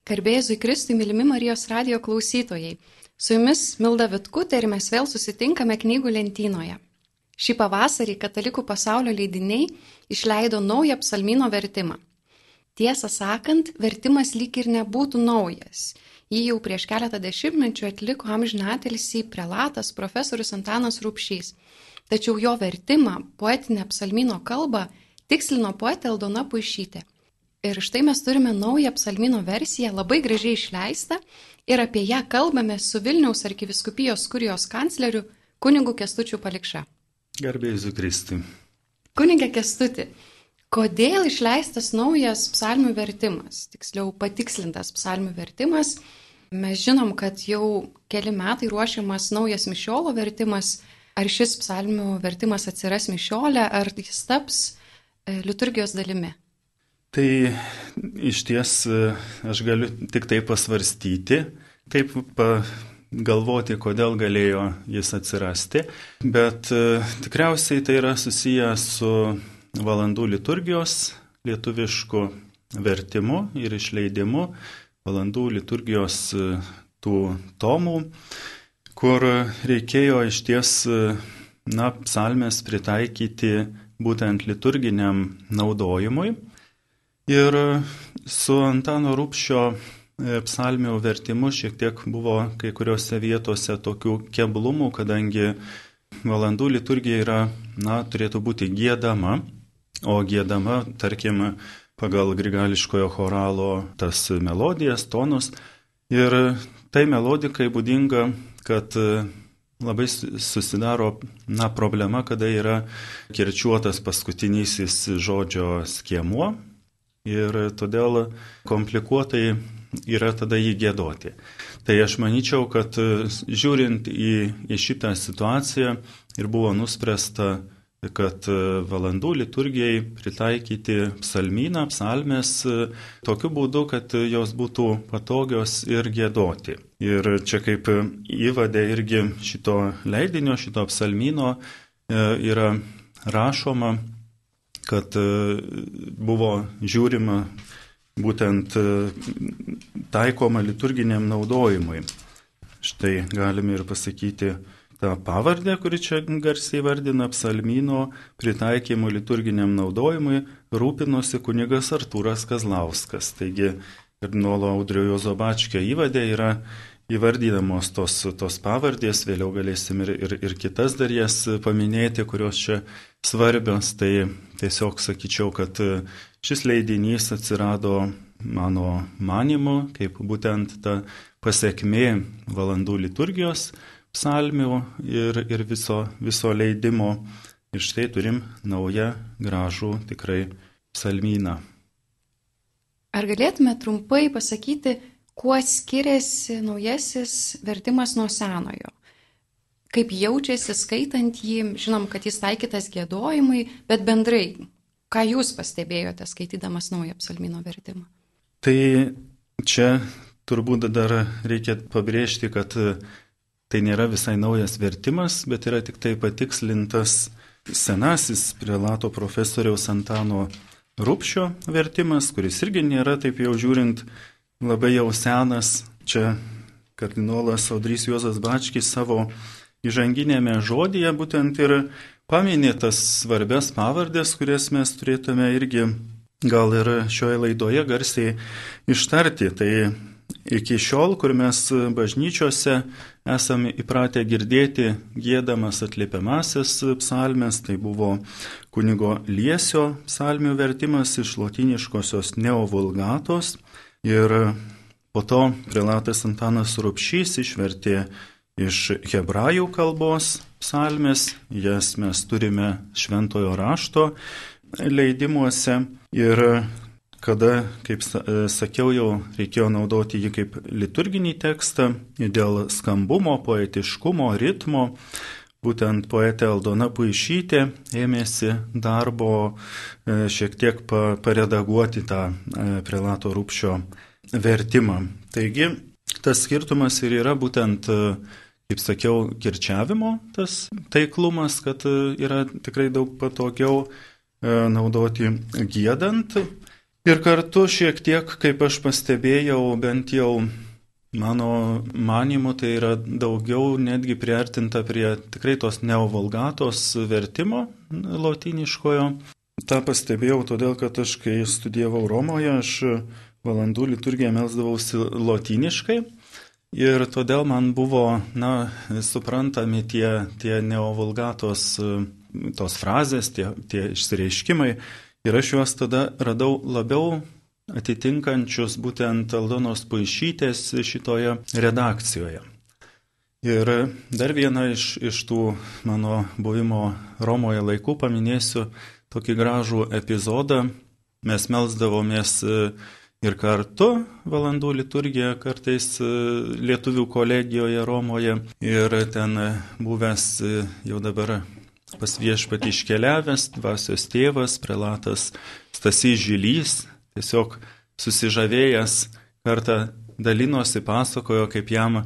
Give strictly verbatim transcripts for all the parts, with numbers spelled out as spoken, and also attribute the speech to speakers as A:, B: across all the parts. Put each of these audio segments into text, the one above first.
A: Garbėzui Kristui, mylimi Marijos radijo klausytojai. Su jumis Milda Vitkutė ir mes vėl susitinkame knygų lentynoje. Šį pavasarį Katalikų pasaulio leidiniai išleido naują psalmyno vertimą. Tiesą sakant, vertimas lyg ir nebūtų naujas. Jį jau prieš keletą dešimtmečių atliko amžinatilsį prelatas profesorius Antanas Rubšys. Tačiau jo vertimą, poetinę psalmyno kalbą, tikslino poetė Aldona Puišytė. Ir štai mes turime naują psalmyno versiją, labai gražiai išleistą, ir apie ją kalbame su Vilniaus arkivyskupijos kurijos kancleriu kunigu Kęstučiu Palikša.
B: Garbėzui Kristui.
A: Kunige Kęstuti, kodėl išleistas naujas psalmių vertimas, tiksliau patikslintas psalmių vertimas? Mes žinom, kad jau keli metai ruošiamas naujas mišiolo vertimas. Ar šis psalmių vertimas atsiras mišiole, ar jis taps liturgijos dalimi?
B: Tai iš ties aš galiu tik tai pasvarstyti, taip pagalvoti, kodėl galėjo jis atsirasti, bet tikriausiai tai yra susiję su valandų liturgijos lietuvišku vertimu ir išleidimu, valandų liturgijos tų tomų, kur reikėjo iš ties na, psalmės pritaikyti būtent liturginiam naudojimui. Ir su Antano Rubšio psalmių vertimu šiek tiek buvo kai kuriuose vietose tokių keblumų, kadangi valandų liturgija yra, na, turėtų būti giedama, o giedama, tarkim, pagal grigališkojo choralo tas melodijas, tonus. Ir tai melodikai būdinga, kad labai susidaro, na, problema, kada yra kirčiuotas paskutinysis žodžio skiemuo. Ir todėl komplikuotai yra tada jį giedoti. Tai aš manyčiau, kad žiūrint į, į šitą situaciją ir buvo nuspręsta, kad valandų liturgijai pritaikyti psalmyną, psalmės tokiu būdu, kad jos būtų patogios ir giedoti. Ir čia kaip įvade irgi šito leidinio, šito psalmyno yra rašoma, kad buvo žiūrima būtent taikoma liturginiam naudojimui. Štai galime ir pasakyti tą pavardę, kuri čia garsiai vardina psalmyno pritaikymo liturginiam naudojimui, rūpinosi kunigas Artūras Kazlauskas. Taigi kardinolo Audrio Juozo Bačkio įvade yra įvardydamos tos, tos pavardės, vėliau galėsim ir, ir, ir kitas dar jas paminėti, kurios čia svarbios. Tai tiesiog sakyčiau, kad šis leidinys atsirado mano manimu, kaip būtent ta pasekmė valandų liturgijos psalmių ir, ir viso, viso leidimo. Ir štai turim naują gražų tikrai psalmyną.
A: Ar galėtume trumpai pasakyti, kuo skiriasi naujasis vertimas nuo senojo? Kaip jaučiasi skaitant jį? Žinom, kad jis taikytas giedojimui, bet bendrai, ką jūs pastebėjote skaitydamas naują psalmyno vertimą?
B: Tai čia turbūt dar reikia pabrėžti, kad tai nėra visai naujas vertimas, bet yra tik tai patikslintas senasis prelato profesoriaus Antano Rubšio vertimas, kuris irgi nėra taip jau žiūrint labai jau senas. Čia kardinolas Audrys Juozas Bačkis savo įžanginėme žodyje būtent ir paminė tas svarbias pavardės, kurias mes turėtume irgi gal ir šioje laidoje garsiai ištarti. Tai iki šiol, kur mes bažnyčiose esame įpratę girdėti giedamas atliepiamasis psalmes, tai buvo kunigo Liesio psalmių vertimas iš lotyniškosios neovulgatos. Ir po to prelatas Antanas Rubšys išvertė iš hebrajų kalbos psalmes, jas mes turime šventojo rašto leidimuose. Ir kada, kaip sakiau, jau reikėjo naudoti jį kaip liturginį tekstą dėl skambumo, poetiškumo, ritmo, būtent poetė Aldona Puišytė ėmėsi darbo šiek tiek paredaguoti tą prelato Rubšio vertimą. Taigi, tas skirtumas ir yra būtent, kaip sakiau, kirčiavimo tas taiklumas, kad yra tikrai daug patogiau naudoti giedant. Ir kartu šiek tiek, kaip aš pastebėjau, bent jau mano manimu, tai yra daugiau netgi priartinta prie tikrai tos neovulgatos vertimo lotyniškojo. Ta pastebėjau todėl, kad aš, kai studijavau Romoje, aš valandų liturgiją melsdavausi lotyniškai. Ir todėl man buvo, na, suprantami tie, tie neovulgatos tos frazės, tie, tie išsireiškimai. Ir aš juos tada radau labiau atitinkančius būtent Aldonos Puišytės šitoje redakcijoje. Ir dar vieną iš, iš tų mano buvimo Romoje laikų paminėsiu tokį gražų epizodą. Mes melsdavomės ir kartu valandų liturgiją kartais lietuvių kolegijoje Romoje. Ir ten buvęs jau dabar pas viešpatį iškeliavęs dvasios tėvas, prelatas Stasys Žilys, tiesiog susižavėjęs kartą dalinosi, pasakojo, kaip jam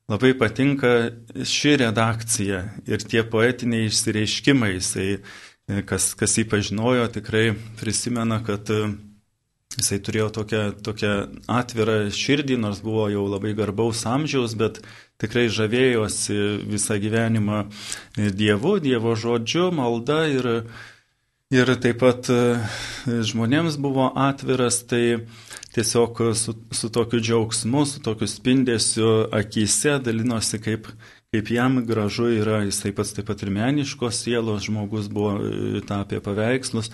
B: labai patinka ši redakcija ir tie poetiniai išsireiškimai. Jisai, kas, kas jį pažinojo, tikrai prisimena, kad jisai turėjo tokią, tokią atvirą širdį, nors buvo jau labai garbaus amžiaus, bet tikrai žavėjosi visą gyvenimą Dievu, Dievo žodžiu, malda ir, ir taip pat žmonėms buvo atviras, tai tiesiog su, su tokiu džiaugsmu, su tokiu spindesiu akyse dalinosi, kaip, kaip jam gražu yra. Jisai pats taip pat ir meniškos sielos žmogus buvo, tapė paveikslus.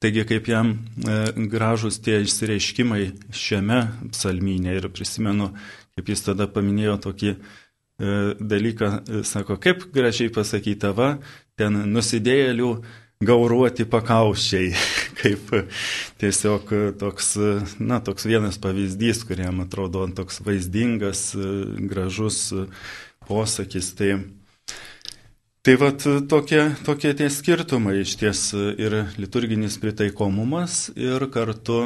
B: Taigi, kaip jam e, gražus tie išsireiškimai šiame psalmyne. Ir prisimenu, kaip jis tada paminėjo tokį e, dalyką, e, sako, kaip gražiai pasakyta, va, ten nusidėjėlių gauruoti pakauščiai. Kaip tiesiog toks, na, toks vienas pavyzdys, kuriam atrodo toks vaizdingas, gražus posakis. Tai Tai vat tokie, tokie tie skirtumai iš ties ir liturginis pritaikomumas ir kartu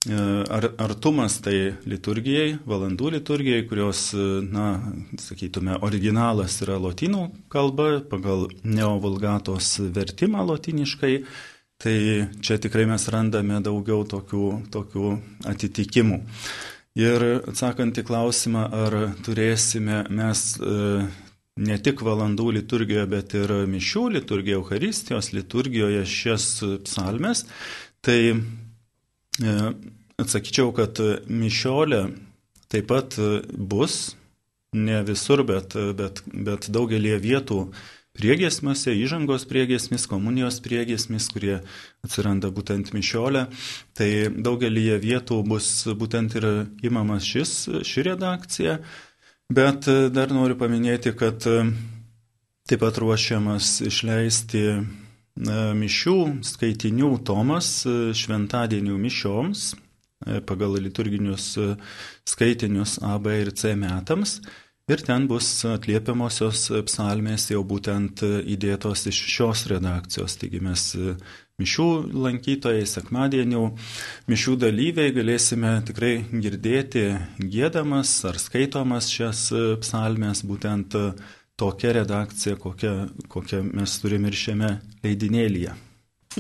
B: ar, artumas tai liturgijai, valandų liturgijai, kurios, na, sakytume, originalas yra lotynų kalba pagal neovulgatos vertimą lotyniškai. Tai čia tikrai mes randame daugiau tokių, tokių atitikimų. Ir atsakant į klausimą, ar turėsime mes ne tik valandų liturgijoje, bet ir mišių liturgijoje, Eucharistijos liturgijoje šias psalmes, tai e, atsakyčiau, kad mišiolė taip pat bus, ne visur, bet, bet, bet daugelie vietų priegiesmiuose, įžangos priegiesmis, komunijos priegiesmis, kurie atsiranda būtent mišiolė, tai daugelie vietų bus būtent ir imamas šis, ši redakcija. Bet dar noriu paminėti, kad taip pat ruošiamas išleisti mišių skaitinių tomas šventadienių mišioms pagal liturginius skaitinius A, B ir C metams. Ir ten bus atliepiamosios psalmės jau būtent įdėtos iš šios redakcijos. Taigi mes mišių lankytojai, sekmadienių mišių dalyviai galėsime tikrai girdėti giedamas ar skaitomas šias psalmes, būtent tokia redakcija, kokią, kokią mes turime ir šiame leidinėlyje.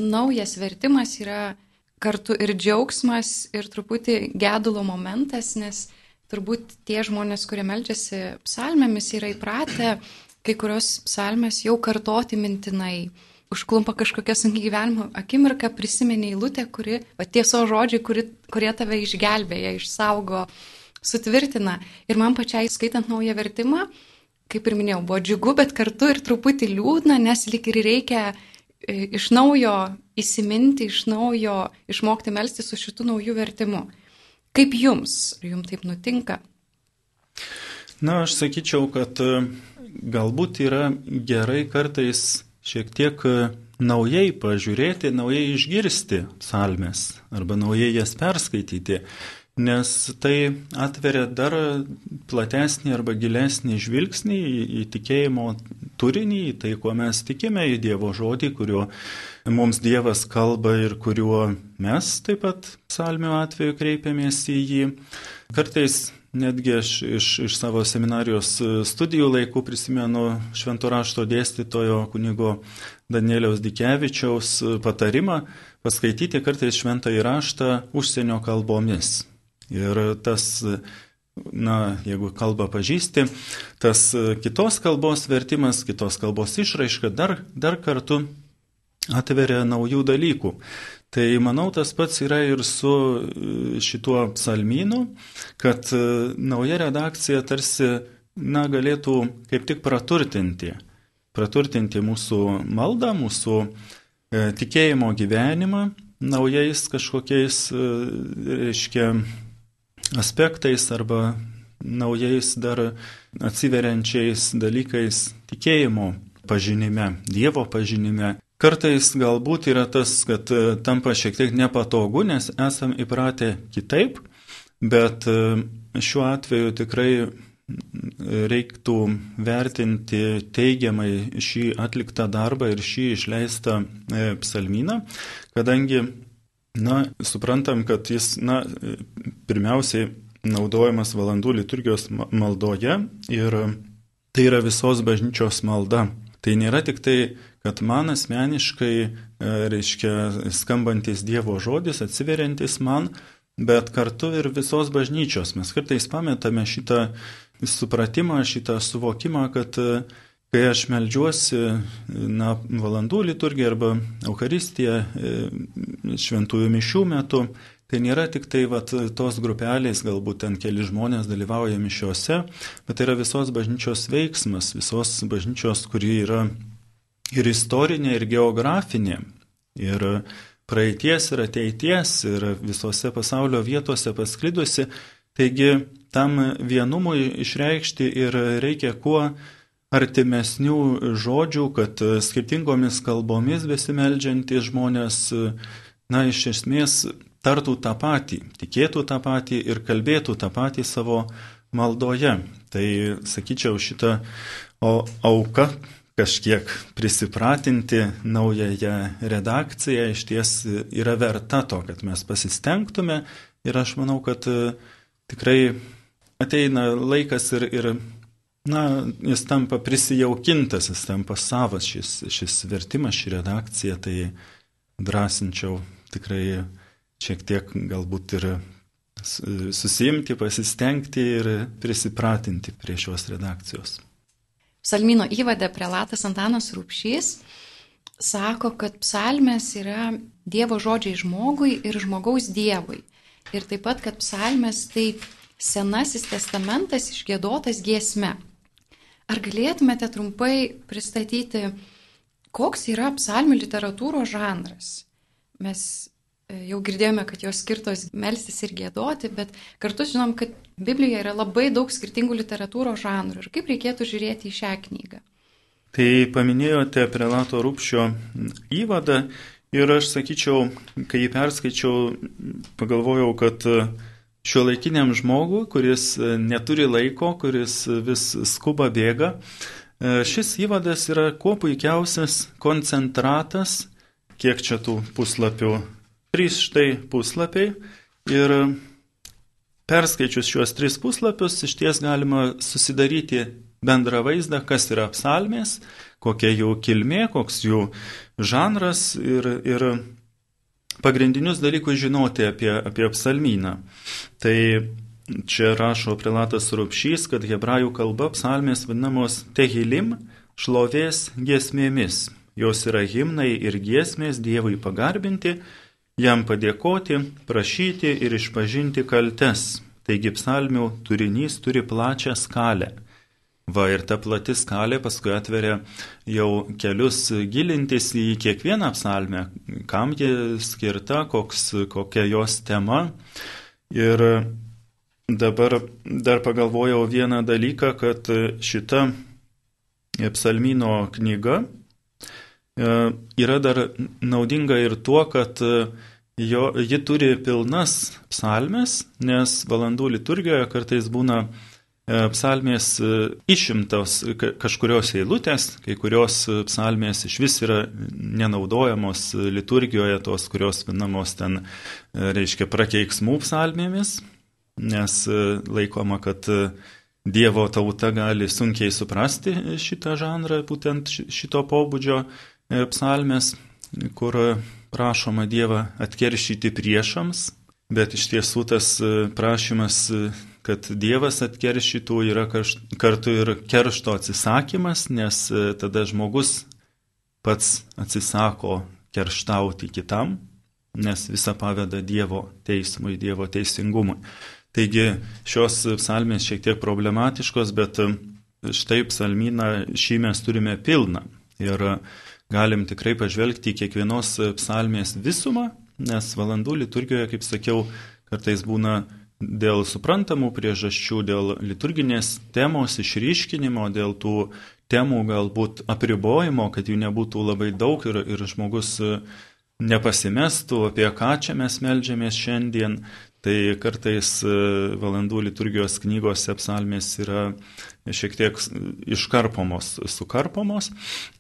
A: Naujas vertimas yra kartu ir džiaugsmas, ir truputį gedulo momentas, nes turbūt tie žmonės, kurie meldžiasi psalmėmis, yra įpratę kai kurios psalmės jau kartoti mintinai. Užklumpa kažkokia sunki gyvenimo akimirka, prisimeni eilutę, kuri, va, tiesos žodžiai, kuri, kurie tave išgelbėja, išsaugo, sutvirtina. Ir man pačiai skaitant naują vertimą, kaip ir minėjau, buvo džiugu, bet kartu ir truputį liūdna, nes lyg ir reikia iš naujo įsiminti, iš naujo išmokti melstis su šitu nauju vertimu. Kaip jums? Ar jums taip nutinka?
B: Na, aš sakyčiau, kad galbūt yra gerai kartais šiek tiek naujai pažiūrėti, naujai išgirsti psalmes arba naujai jas perskaityti, nes tai atveria dar platesnį arba gilesnį žvilgsnį į, į tikėjimo turinį, į tai, kuo mes tikime, į Dievo žodį, kuriuo mums Dievas kalba ir kuriuo mes taip pat psalmių atveju kreipiamės į jį. Kartais netgi aš iš, iš savo seminarijos studijų laikų prisimenu švento rašto dėstytojo kunigo Danieliaus Dikevičiaus patarimą paskaityti kartais šventąjį raštą užsienio kalbomis. Ir tas, na, jeigu kalbą pažįsti, tas kitos kalbos vertimas, kitos kalbos išraiška dar, dar kartu atveria naujų dalykų. Tai manau, tas pats yra ir su šituo psalmynu, kad nauja redakcija tarsi, na, galėtų kaip tik praturtinti, praturtinti mūsų maldą, mūsų e, tikėjimo gyvenimą naujais kažkokiais, e, reiškia, aspektais arba naujais dar atsiveriančiais dalykais tikėjimo pažinime, Dievo pažinime. Kartais galbūt yra tas, kad tampa šiek tiek nepatogu, nes esam įpratę kitaip, bet šiuo atveju tikrai reiktų vertinti teigiamai šį atliktą darbą ir šį išleistą psalmyną, kadangi, na, suprantam, kad jis, na, pirmiausiai naudojamas valandų liturgijos maldoje ir tai yra visos bažnyčios malda. Tai nėra tik tai, kad man asmeniškai, reiškia, skambantis Dievo žodis, atsiveriantis man, bet kartu ir visos bažnyčios. Mes kartais pametame šitą supratimą, šitą suvokimą, kad kai aš meldžiuosi, na, valandų liturgiją arba Eucharistiją šventųjų mišių metu, tai nėra tik tai vat, tos grupelės, galbūt ten keli žmonės dalyvauja mišiuose, bet tai yra visos bažnyčios veiksmas, visos bažnyčios, kuri yra ir istorinė, ir geografinė, ir praeities, ir ateities, ir visose pasaulio vietose pasklidusi. Taigi tam vienumui išreikšti ir reikia kuo artimesnių žodžių, kad skirtingomis kalbomis besimeldžiantys žmonės, na, iš esmės tartų tą patį, tikėtų tą patį ir kalbėtų tą patį savo maldoje. Tai, sakyčiau, šitą auką kažkiek prisipratinti naująją redakciją iš ties yra verta to, kad mes pasistengtume ir aš manau, kad tikrai ateina laikas ir, ir na, jis tampa prisijaukintas, jis tampa savas šis, šis vertimas, ši redakcija, tai drąsinčiau tikrai šiek tiek galbūt ir susiimti, pasistengti ir prisipratinti prie šios redakcijos.
A: Psalmyno įvade prelatas Antanas Rubšys sako, kad psalmės yra Dievo žodžiai žmogui ir žmogaus Dievui. Ir taip pat, kad psalmės tai Senasis testamentas išgiedotas giesme. Ar galėtumėte trumpai pristatyti, koks yra psalmių literatūros žanras? Mes jau girdėjome, kad jos skirtos melstis ir giedoti, bet kartu žinom, kad Biblijoje yra labai daug skirtingų literatūros žanrų. Ir kaip reikėtų žiūrėti į šią knygą?
B: Tai paminėjote prelato Rubšio įvadą ir aš sakyčiau, kai jį perskaičiau, pagalvojau, kad šiuolaikiniam žmogui, kuris neturi laiko, kuris vis skuba bėga, šis įvadas yra kuo puikiausias koncentratas, kiek čia tų puslapių. Trys štai puslapiai ir perskaičius šiuos tris puslapius iš ties galima susidaryti bendrą vaizdą, kas yra psalmės, kokia jų kilmė, koks jų žanras ir, ir pagrindinius dalykus žinoti apie, apie psalmyną. Tai čia rašo prelatas Rubšys, kad hebrajų kalba psalmės vadinamos tehilim, šlovės giesmėmis. Jos yra himnai ir giesmės Dievui pagarbinti, jam padėkoti, prašyti ir išpažinti kaltes. Taigi psalmių turinys turi plačią skalę. Va ir ta plati skalė paskui atveria jau kelius gilintis į kiekvieną psalmę, kam ji skirta, koks, kokia jos tema. Ir dabar dar pagalvojau vieną dalyką, kad šita psalmyno knyga yra dar naudinga ir tuo, kad jo, ji turi pilnas psalmes, nes valandų liturgijoje kartais būna psalmės išimtos kažkurios eilutės, kai kurios psalmės iš vis yra nenaudojamos liturgijoje, tos, kurios vadinamos ten, reiškia, prakeiksmų psalmėmis. nes laikoma, kad Dievo tauta gali sunkiai suprasti šitą žanrą, būtent šito pobūdžio psalmės, kur prašoma Dievą atkeršyti priešams, bet iš tiesų tas prašymas, kad Dievas atkeršytų, yra kartu ir keršto atsisakymas, nes tada žmogus pats atsisako kerštauti kitam, nes visą paveda Dievo teismui, Dievo teisingumui. Taigi šios psalmės šiek tiek problematiškos, bet štai psalmyną šį mes turime pilną ir galim tikrai pažvelgti į kiekvienos psalmės visumą, nes valandų liturgijoje, kaip sakiau, kartais būna dėl suprantamų priežasčių, dėl liturginės temos išryškinimo, dėl tų temų galbūt apribojimo, kad jų nebūtų labai daug ir, ir žmogus nepasimestų, apie ką čia mes meldžiamės šiandien. Tai kartais valandų liturgijos knygose psalmės yra šiek tiek iškarpomos, sukarpomos,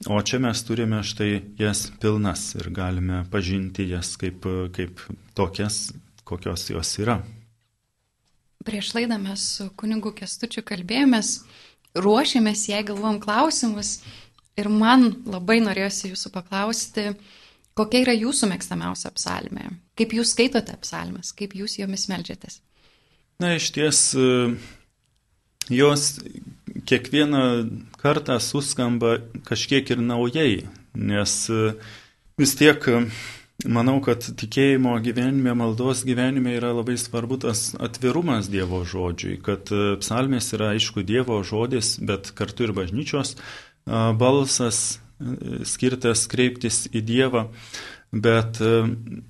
B: o čia mes turime štai jas pilnas ir galime pažinti jas kaip, kaip tokias, kokios jos yra.
A: Prieš laidą mes su kunigu Kęstučiu kalbėjomės, ruošėmės, jei galvom klausimus ir man labai norėjosi jūsų paklausti, kokia yra jūsų mėgstamiausia psalmė? Kaip jūs skaitote psalmes? Kaip jūs jomis meldžiatės?
B: Na, iš ties, jos kiekvieną kartą suskamba kažkiek ir naujai, nes vis tiek manau, kad tikėjimo gyvenime, maldos gyvenime yra labai svarbu tas atvirumas Dievo žodžiui, kad psalmės yra aišku Dievo žodis, bet kartu ir bažnyčios balsas, skirtas kreiptis į Dievą, bet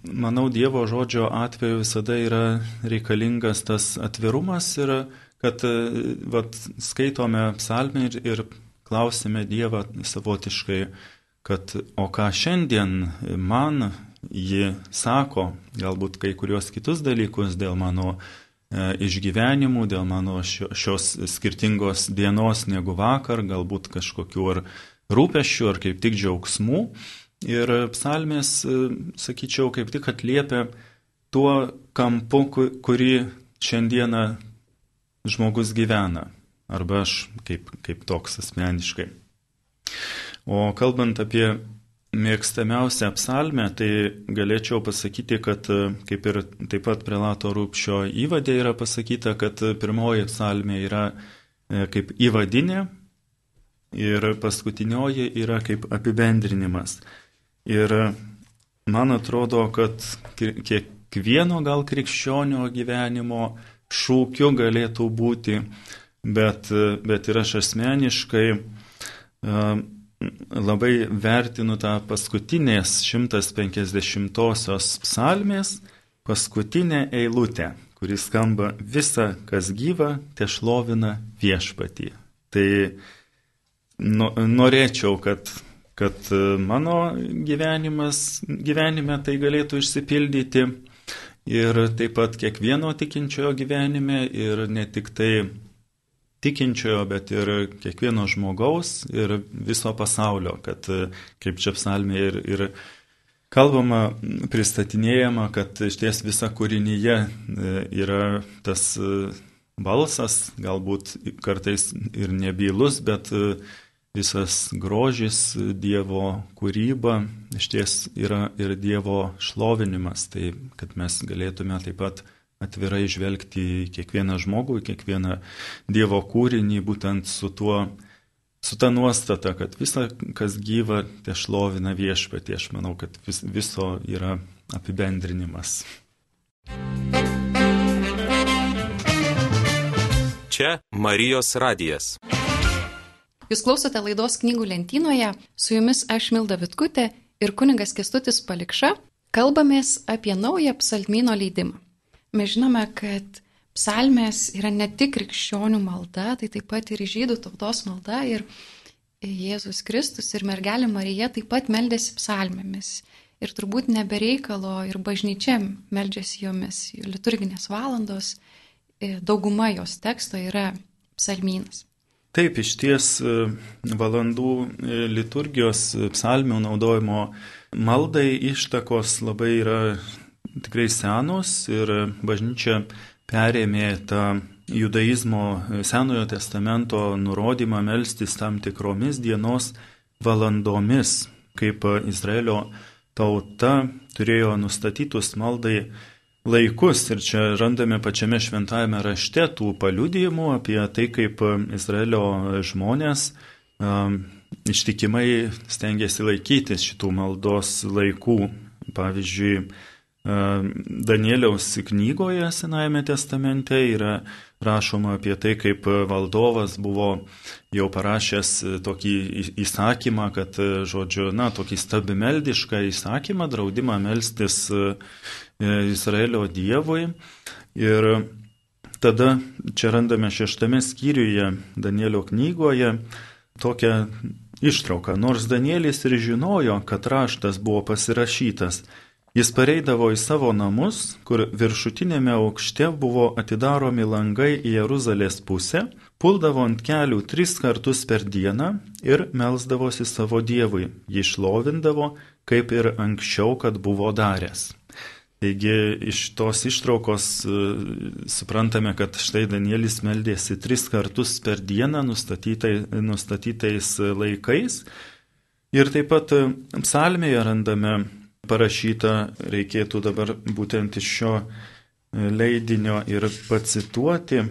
B: manau Dievo žodžio atveju visada yra reikalingas tas atvirumas ir kad vat, skaitome psalmę ir, ir klausime Dievą savotiškai, kad o ką šiandien man ji sako, galbūt kai kurios kitus dalykus dėl mano e, išgyvenimų, dėl mano šio, šios skirtingos dienos negu vakar, galbūt kažkokiu ar rūpesčių ar kaip tik džiaugsmų. Ir psalmės, sakyčiau, kaip tik atliepia tuo kampu, kurį šiandieną žmogus gyvena. Arba aš kaip, kaip toks asmeniškai. O kalbant apie mėgstamiausią psalmę, tai galėčiau pasakyti, kad kaip ir taip pat prelato Rupšio įvade yra pasakyta, kad pirmoji psalmė yra kaip įvadinė, ir paskutinioji yra kaip apibendrinimas. Ir man atrodo, kad kiekvieno gal krikščionio gyvenimo šūkiu galėtų būti, bet, bet ir aš asmeniškai labai vertinu tą paskutinės šimtas penkiasdešimtosios psalmės paskutinę eilutę, kuris skamba: visa, kas gyva, tešlovina viešpatį. Tai norėčiau, kad, kad mano gyvenimas, gyvenime tai galėtų išsipildyti ir taip pat kiekvieno tikinčiojo gyvenime ir ne tik tai tikinčiojo, bet ir kiekvieno žmogaus ir viso pasaulio, kad kaip čia psalmė ir, ir kalbama, pristatinėjama, kad iš ties visa kūrinyje yra tas balsas, galbūt kartais ir nebylus, bet visas grožis, Dievo kūryba iš ties yra ir Dievo šlovinimas, tai kad mes galėtume taip pat atvirai žvelgti į kiekvieną žmogų, į kiekvieną Dievo kūrinį, būtent su tuo, su ta nuostata, kad visa, kas gyva, te šlovina viešpatį. Aš manau, kad vis, viso yra apibendrinimas.
C: Čia Marijos radijas.
A: Jūs klausote laidos Knygų lentynoje, su jumis aš Milda Vitkutė ir kunigas Kęstutis Palikša. Kalbamės apie naują psalmyno leidimą. Mes žinome, kad psalmės yra ne tik krikščionių malda, tai taip pat ir žydų tautos malda ir Jėzus Kristus ir mergelė Marija taip pat meldėsi psalmėmis. Ir turbūt nebereikalo ir bažnyčia meldžiasi jomis. Liturginės valandos, dauguma jos teksto yra psalmynas.
B: Taip, iš ties valandų liturgijos psalmių naudojimo maldai ištakos labai yra tikrai senos ir bažnyčia perėmė tą judaizmo Senojo testamento nurodymą melstis tam tikromis dienos valandomis, kaip Izraelio tauta turėjo nustatytus maldai laikus. Ir čia randame pačiame šventajame rašte tų paliudijimų apie tai, kaip Izraelio žmonės um, ištikimai stengiasi laikytis šitų maldos laikų. Pavyzdžiui, Danieliaus knygoje Senajame testamente yra rašoma apie tai, kaip valdovas buvo jau parašęs tokį įsakymą, kad, žodžiu, na, tokį stabimeldišką įsakymą, draudimą melstis Izraelio dievui. Ir tada čia randame šeštame skyriuje Danielio knygoje tokią ištrauką. Nors Danielis ir žinojo, kad raštas buvo pasirašytas, jis pareidavo į savo namus, kur viršutinėme aukšte buvo atidaromi langai į Jeruzalės pusę, puldavo ant kelių tris kartus per dieną ir melsdavosi savo dievui. Jį šlovindavo, kaip ir anksčiau, kad buvo daręs. Taigi iš tos ištraukos suprantame, kad štai Danielis meldėsi tris kartus per dieną nustatytai, nustatytais laikais. Ir taip pat psalmėje randame parašyta, reikėtų dabar būtent iš šio leidinio ir pacituoti,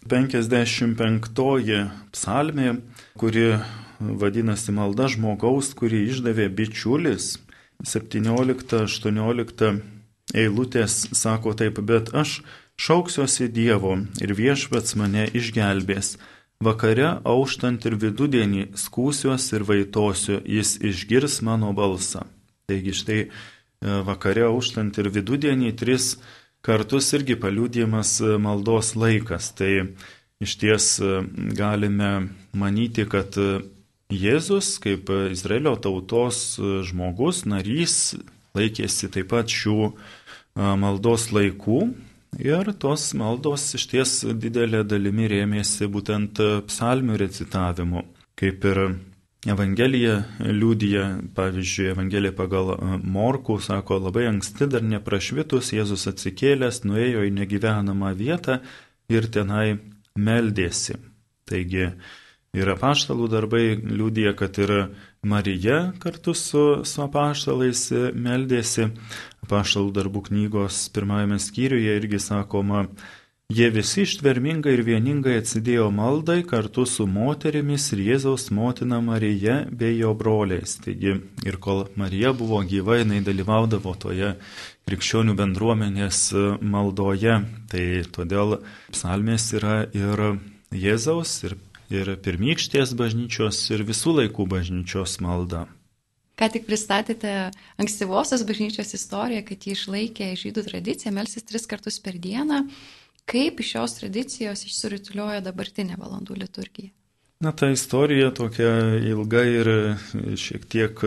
B: penkiasdešimt penktoji psalmė, kuri vadinasi Malda žmogaus, kurį išdavė bičiulis, septyniolikta aštuoniolikta eilutės sako taip: bet aš šauksiuosi Dievo ir viešpats mane išgelbės. Vakare auštant ir vidudienį skūsiuos ir vaitosiu, jis išgirs mano balsą. Taigi štai vakare auštant ir vidudienį tris kartus irgi paliudijamas maldos laikas. Tai iš ties galime manyti, kad Jėzus kaip Izraelio tautos žmogus, narys, laikėsi taip pat šių maldos laikų. Ir tos maldos iš ties didelė dalimi rėmėsi būtent psalmių recitavimu. Kaip ir Evangelija liudija, pavyzdžiui, Evangelija pagal Morkų sako, labai anksti dar neprašvitus Jėzus atsikėlęs, nuėjo į negyvenamą vietą ir tenai meldėsi. Taigi ir apaštalų darbai liudija, kad ir Marija kartu su, su apaštalais meldėsi. Apaštalų darbų knygos pirmajame skyriuje irgi sakoma, jie visi ištvermingai ir vieningai atsidėjo maldai kartu su moterimis ir Jėzaus motina Marija bei jo broliais. Taigi ir kol Marija buvo gyva, jinai dalyvaudavo toje krikščionių bendruomenės maldoje. Tai todėl psalmės yra ir Jėzaus, ir, ir pirmykštės bažnyčios, ir visų laikų bažnyčios malda.
A: Ką tik pristatėte ankstyvosios bažnyčios istoriją, kad jį išlaikė žydų tradiciją melstis tris kartus per dieną. Kaip iš šios tradicijos išsirutulioja dabartinė valandų liturgija?
B: Na, ta istorija tokia ilga ir šiek tiek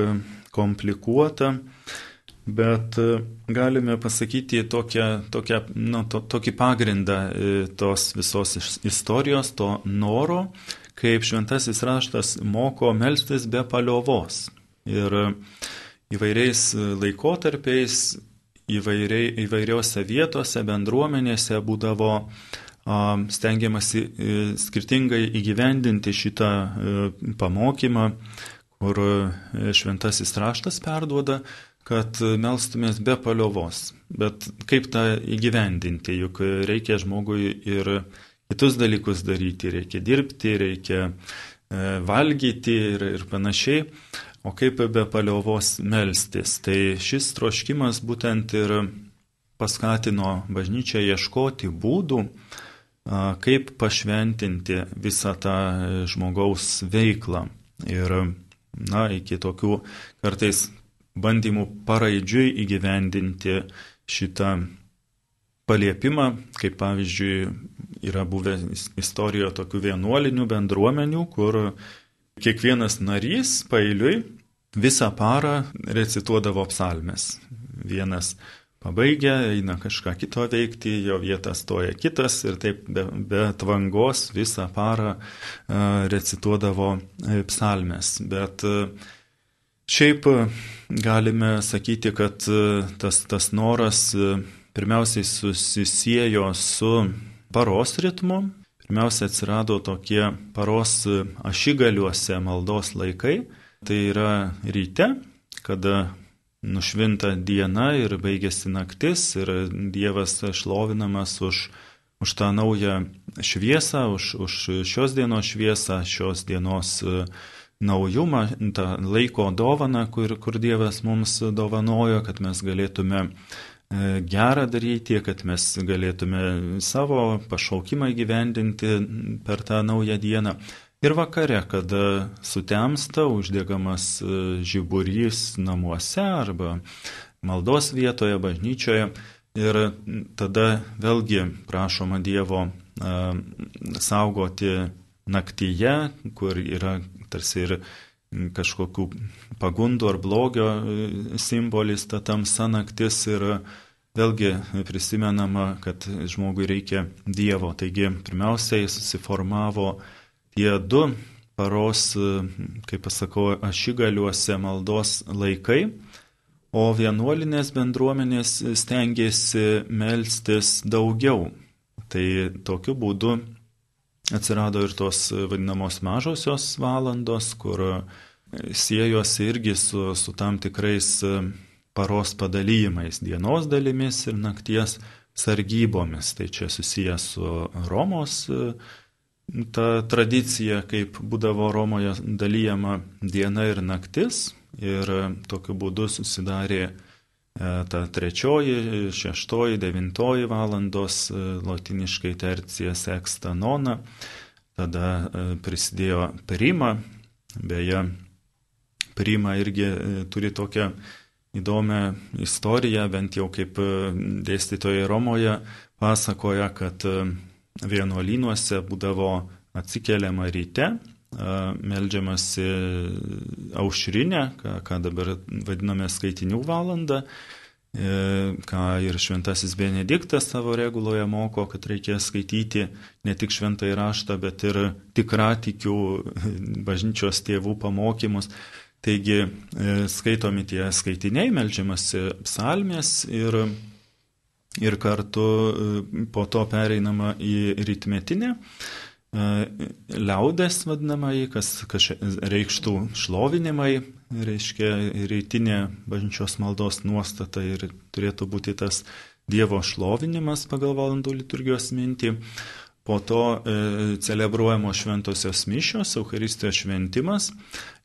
B: komplikuota, bet galime pasakyti tokią, tokią, nu, to, tokį pagrindą tos visos istorijos, to noro, kaip šventasis raštas moko melstis be paliovos. Ir įvairiais laikotarpiais, Įvairiai, įvairiose vietose, bendruomenėse būdavo a, stengiamasi e, skirtingai įgyvendinti šitą e, pamokymą, kur e, šventasis raštas perduoda, kad melstumės be paliovos. Bet kaip tą įgyvendinti, juk reikia žmogui ir kitus dalykus daryti, reikia dirbti, reikia e, valgyti ir, ir panašiai. O kaip be paliovos melstis? Tai šis troškimas būtent ir paskatino bažnyčią ieškoti būdų, kaip pašventinti visą tą žmogaus veiklą. Ir, na, iki tokių kartais bandymų paraidžiui įgyvendinti šitą paliepimą, kaip pavyzdžiui yra buvę istorijoje tokių vienuolinių bendruomenių, kur kiekvienas narys paeiliui visą parą recituodavo psalmes. Vienas pabaigia, eina kažką kito veikti, jo vietą stoja kitas ir taip be, be tvangos visą parą uh, recituodavo psalmes. Bet uh, Šiaip galime sakyti, kad tas, tas noras pirmiausiai susisiejo su paros ritmu. Pirmiausia atsirado tokie paros ašigaliuose maldos laikai. Tai yra ryte, kada nušvinta diena ir baigėsi naktis ir Dievas šlovinamas už, už tą naują šviesą, už, už šios dienos šviesą, šios dienos naujumą, tą laiko dovaną, kur, kur Dievas mums dovanojo, kad mes galėtume gerą daryti, kad mes galėtume savo pašaukimą įgyvendinti per tą naują dieną. Ir vakare, kada sutemsta, uždegamas žiburys namuose arba maldos vietoje, bažnyčioje. Ir tada vėlgi prašoma Dievo a, saugoti naktyje, kur yra tarsi ir kažkokių pagundų ar blogio simbolis, ta tamsa naktis. Ir vėlgi prisimenama, kad žmogui reikia Dievo. Taigi pirmiausiai susiformavo tie du paros, kaip pasakau, ašigaliuose maldos laikai, o vienuolinės bendruomenės stengiasi melstis daugiau. Tai tokiu būdu atsirado ir tos vadinamos mažosios valandos, kur siejosi irgi su, su tam tikrais paros padalijimais, dienos dalimis ir nakties sargybomis. Tai čia susijęs su Romos ta tradicija, kaip būdavo Romoje dalyjama diena ir naktis, ir tokiu būdu susidarė ta trečioji, šeštoji, devintoji valandos, lotiniškai tercija, sexta, nona. Tada prisidėjo prima, beje, prima irgi turi tokią įdomią istoriją, bent jau kaip dėstytojai Romoje pasakoja, kad vienuolynuose būdavo atsikeliama ryte, meldžiamasi aušrinę, ką, ką dabar vadiname skaitinių valandą, ką ir šventasis Benediktas savo reguloje moko, kad reikia skaityti ne tik šventąjį raštą, bet ir tikratikių bažnyčios tėvų pamokymus. Taigi skaitomi tie skaitiniai, meldžiamasi psalmės ir Ir kartu po to pereinama į rytmetinę, liaudės vadinamai, kas, kas reikštų šlovinimai, reiškia rytinė bažnyčios maldos nuostata ir turėtų būti tas Dievo šlovinimas pagal valandų liturgijos mintį. Po to e, celebruojamos šventosios mišios, Eucharistijos šventimas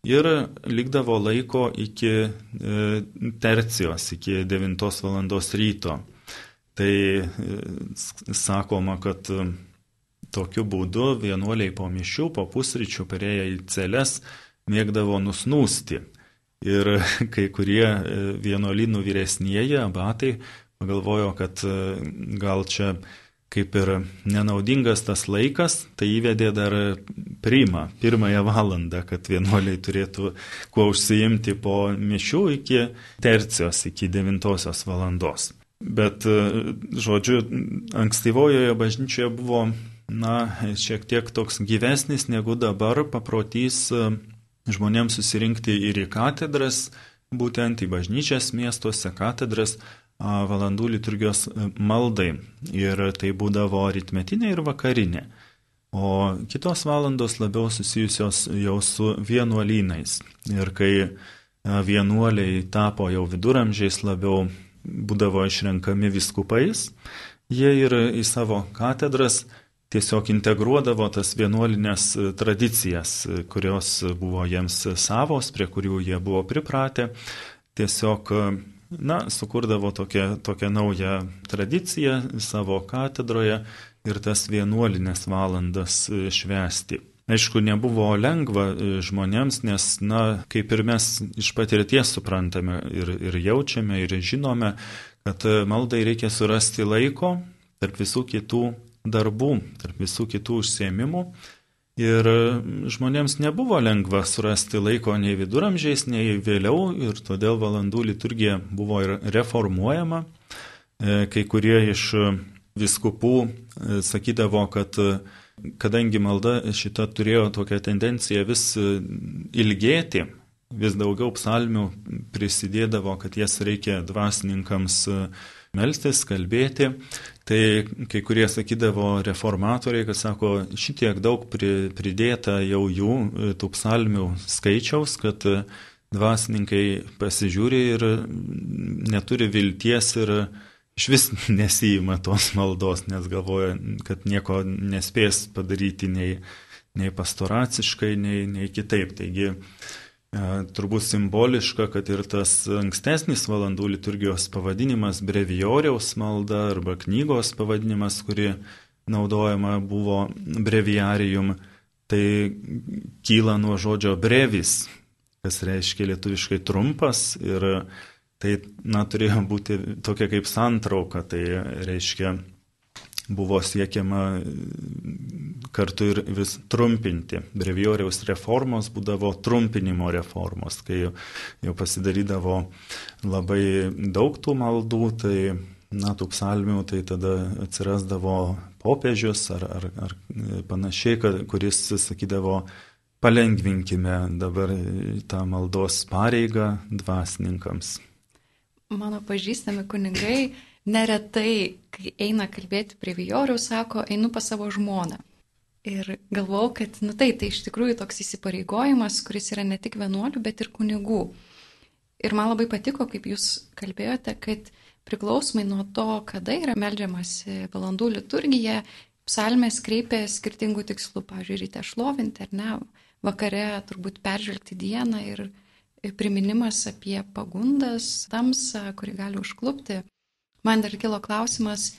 B: ir likdavo laiko iki e, tercijos, iki devintos valandos ryto. Tai sakoma, kad tokiu būdu vienuoliai po mišių, po pusryčių perėję į celes mėgdavo nusnūsti. Ir kai kurie vienuolynų vyresnieji abatai pagalvojo, kad gal čia kaip ir nenaudingas tas laikas, tai įvedė dar primą, pirmąją valandą, kad vienuoliai turėtų kuo užsiimti po mišių iki tercijos, iki devintosios valandos. Bet, žodžiu, ankstyvojoje bažnyčioje buvo, na, šiek tiek toks gyvesnis negu dabar paprotys žmonėms susirinkti ir į katedras, būtent į bažnyčias miestuose, katedras, valandų liturgijos maldai. Ir tai būdavo rytmetinė ir vakarinė. O kitos valandos labiau susijusios jau su vienuolynais. Ir kai vienuoliai tapo jau viduramžiais labiau būdavo išrenkami vyskupais, jie ir į savo katedras tiesiog integruodavo tas vienuolinės tradicijas, kurios buvo jiems savos, prie kurių jie buvo pripratę. Tiesiog, na, sukurdavo tokią, tokią naują tradiciją savo katedroje ir tas vienuolinės valandas švęsti. Aišku, nebuvo lengva žmonėms, nes, na, kaip ir mes iš patirties suprantame ir, ir jaučiame ir žinome, kad maldai reikia surasti laiko tarp visų kitų darbų, tarp visų kitų užsiėmimų. Ir žmonėms nebuvo lengva surasti laiko nei viduramžiais, nei vėliau, ir todėl valandų liturgija buvo ir reformuojama. Kai kurie iš vyskupų sakydavo, kad kadangi malda šita turėjo tokią tendenciją vis ilgėti, vis daugiau psalmių prisidėdavo, kad jas reikia dvasininkams melstis, kalbėti. Tai kai kurie sakydavo reformatoriai, kad sako, šitiek daug pridėta jau jų tų psalmių skaičiaus, kad dvasininkai pasižiūri ir neturi vilties ir iš vis nesijima tos maldos, nes galvoja, kad nieko nespės padaryti nei, nei pastoraciškai, nei, nei kitaip. Taigi turbūt simboliška, kad ir tas ankstesnis valandų liturgijos pavadinimas brevijoriaus malda arba knygos pavadinimas, kuri naudojama buvo breviarium, tai kyla nuo žodžio brevis, kas reiškia lietuviškai trumpas, ir tai na, turėjo būti tokia kaip santrauka, tai reiškia buvo siekiama kartu ir vis trumpinti. Brevijoriaus reformos būdavo trumpinimo reformos, kai jau pasidarydavo labai daug tų maldų, tai na, tų psalmių, tai tada atsirasdavo popiežius ar, ar, ar panašiai, kuris sakydavo, palengvinkime dabar tą maldos pareigą dvasininkams.
A: Mano pažįstami kunigai neretai, kai eina kalbėti prie vijorių, sako, einu pas savo žmoną. Ir galvau, kad nu, tai, tai iš tikrųjų toks įsipareigojimas, kuris yra ne tik vienuolių, bet ir kunigų. Ir man labai patiko, kaip jūs kalbėjote, kad priklausomai nuo to, kada yra meldžiamasi valandų liturgija, psalmės kreipia skirtingų tikslų. Pavyzdžiui, ryte šlovinti ar ne, vakare turbūt peržvelgti dieną ir priminimas apie pagundas, tamsą, kuri gali užklupti. Man dar kilo klausimas,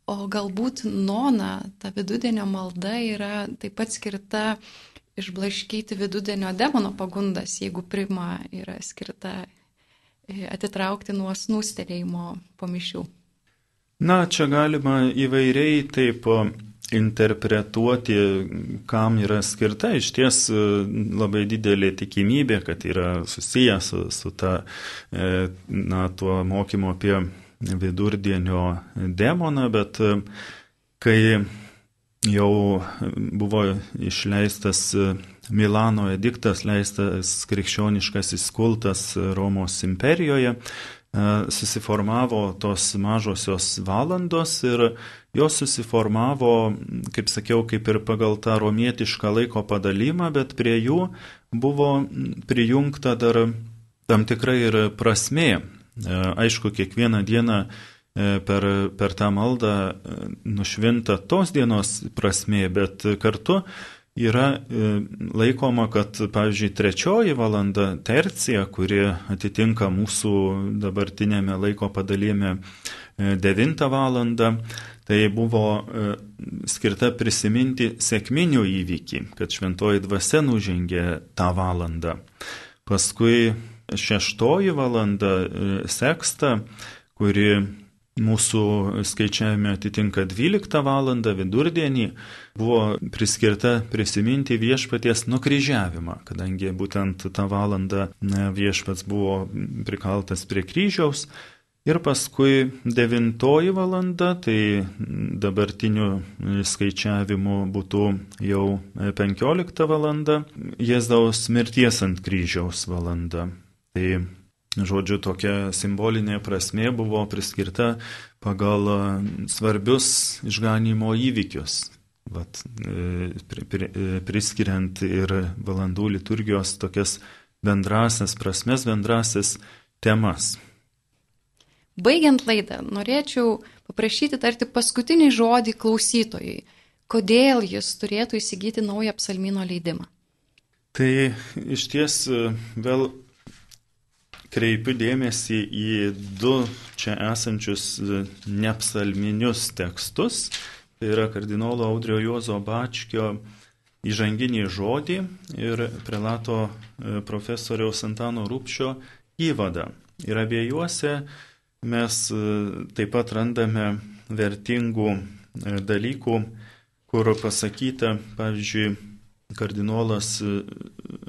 A: o galbūt nona, ta vidudienio malda yra taip pat skirta išblaškyti vidudienio demono pagundas, jeigu prima yra skirta atitraukti nuo snūstelėjimo po mišių.
B: Na, čia galima įvairiai taip interpretuoti, kam yra skirta. Iš ties labai didelė tikimybė, kad yra susijęs su, su ta, na, tuo mokymu apie vidurdienio demoną, bet kai jau buvo išleistas Milano ediktas, leistas krikščioniškasis kultas Romos imperijoje, susiformavo tos mažosios valandos ir jos susiformavo, kaip sakiau, kaip ir pagal tą romietišką laiko padalymą, bet prie jų buvo prijungta dar tam tikrai ir prasmė. Aišku, kiekvieną dieną per, per tą maldą nušvinta tos dienos prasmė, bet kartu yra laikoma, kad, pavyzdžiui, trečioji valanda tercija, kuri atitinka mūsų dabartinėme laiko padalyme devintą valandą, tai buvo skirta prisiminti sekminių įvykį, kad šventoji dvasia nužengė tą valandą. Paskui šeštoji valanda seksta, kuri mūsų skaičiavime atitinka dvyliktą valandą vidurdienį, buvo priskirta prisiminti viešpaties nukryžiavimą, kadangi būtent tą valandą viešpats buvo prikaltas prie kryžiaus. Ir paskui devintoji valanda, tai dabartiniu skaičiavimu būtų jau penkiolikta valanda, Jėzaus mirties ant kryžiaus valanda. Tai, žodžiu, tokia simbolinė prasmė buvo priskirta pagal svarbius išganymo įvykius, vat, priskiriant ir valandų liturgijos tokias bendrasias prasmes, bendrasias temas.
A: Baigiant laidą, norėčiau paprašyti tarti paskutinį žodį klausytojui. Kodėl jis turėtų įsigyti naują psalmyno leidimą?
B: Tai iš ties vėl kreipiu dėmesį į du čia esančius nepsalminius tekstus. Tai yra kardinolo Audrio Juozo Bačkio įžanginį žodį ir prelato profesoriaus Antano Rupšio įvadą. Ir abiejuose mes taip pat randame vertingų dalykų, kur pasakyta, pavyzdžiui, kardinolas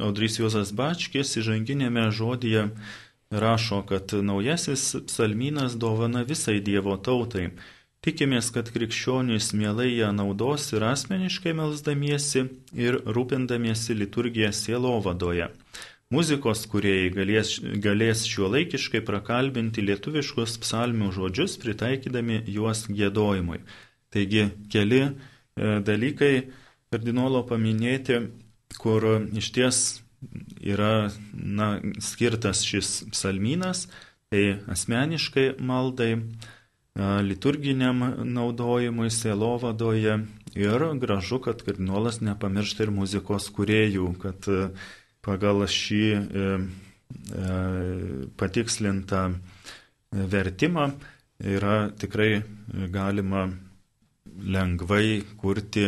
B: Audrys Juozas Bačkis įžanginėme žodyje rašo, kad naujasis psalmynas dovana visai Dievo tautai. Tikimės, kad krikščionys mielai ją naudos ir asmeniškai melsdamiesi ir rūpindamiesi liturgiją sielovadoje. muzikos kūrėjai galės, galės šiuolaikiškai prakalbinti lietuviškus psalmių žodžius, pritaikydami juos giedojimui. Taigi keli e, dalykai kardinolo paminėti, kur išties yra na, skirtas šis psalmynas, tai asmeniškai maldai, liturginiam naudojimui sielovadoje ir gražu, kad kardinolas nepamiršta ir muzikos kūrėjų, kad pagal šį patikslintą vertimą yra tikrai galima lengvai kurti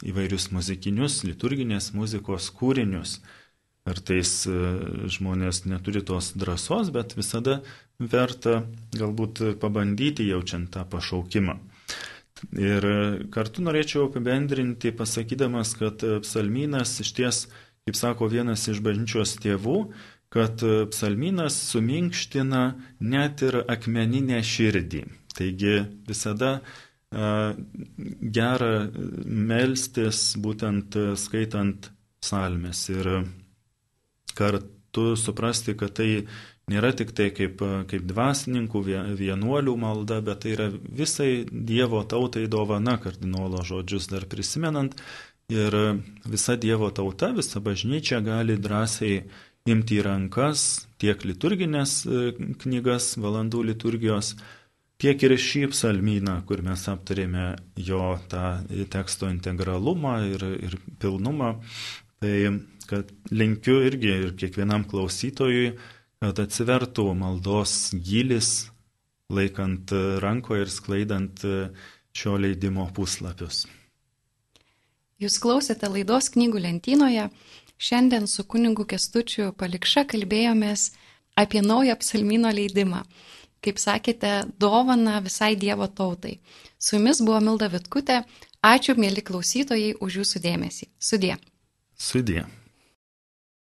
B: įvairius muzikinius, liturginės muzikos kūrinius. Kartais žmonės neturi tos drąsos, bet visada verta galbūt pabandyti jaučiant tą pašaukimą. Ir kartu norėčiau apibendrinti, pasakydamas, kad psalmynas išties, kaip sako vienas iš bažnyčios tėvų, kad psalmynas suminkština net ir akmeninę širdį. Taigi visada gera melstis būtent skaitant psalmes ir kartu suprasti, kad tai nėra tik tai kaip, kaip dvasininkų, vienuolių malda, bet tai yra visai Dievo tautai dovana, kardinolo žodžius dar prisimenant. Ir visa Dievo tauta, visa bažnyčia gali drąsiai imti į rankas tiek liturginės knygas, valandų liturgijos, tiek ir šį psalmyną, kur mes aptarėme jo tą teksto integralumą ir, ir pilnumą. Tai kad linkiu irgi ir kiekvienam klausytojui, kad atsivertų maldos gylis, laikant rankoje ir sklaidant šio leidimo puslapius.
A: Jūs klausėte laidos Knygų lentynoje. Šiandien su kunigu Kęstučiu Palikša kalbėjomės apie naują psalmyno leidimą. Kaip sakėte, dovana visai Dievo tautai. Su jumis buvo Milda Vitkutė. Ačiū, mėly klausytojai, už jūsų dėmesį. Sudie.
B: Sudie.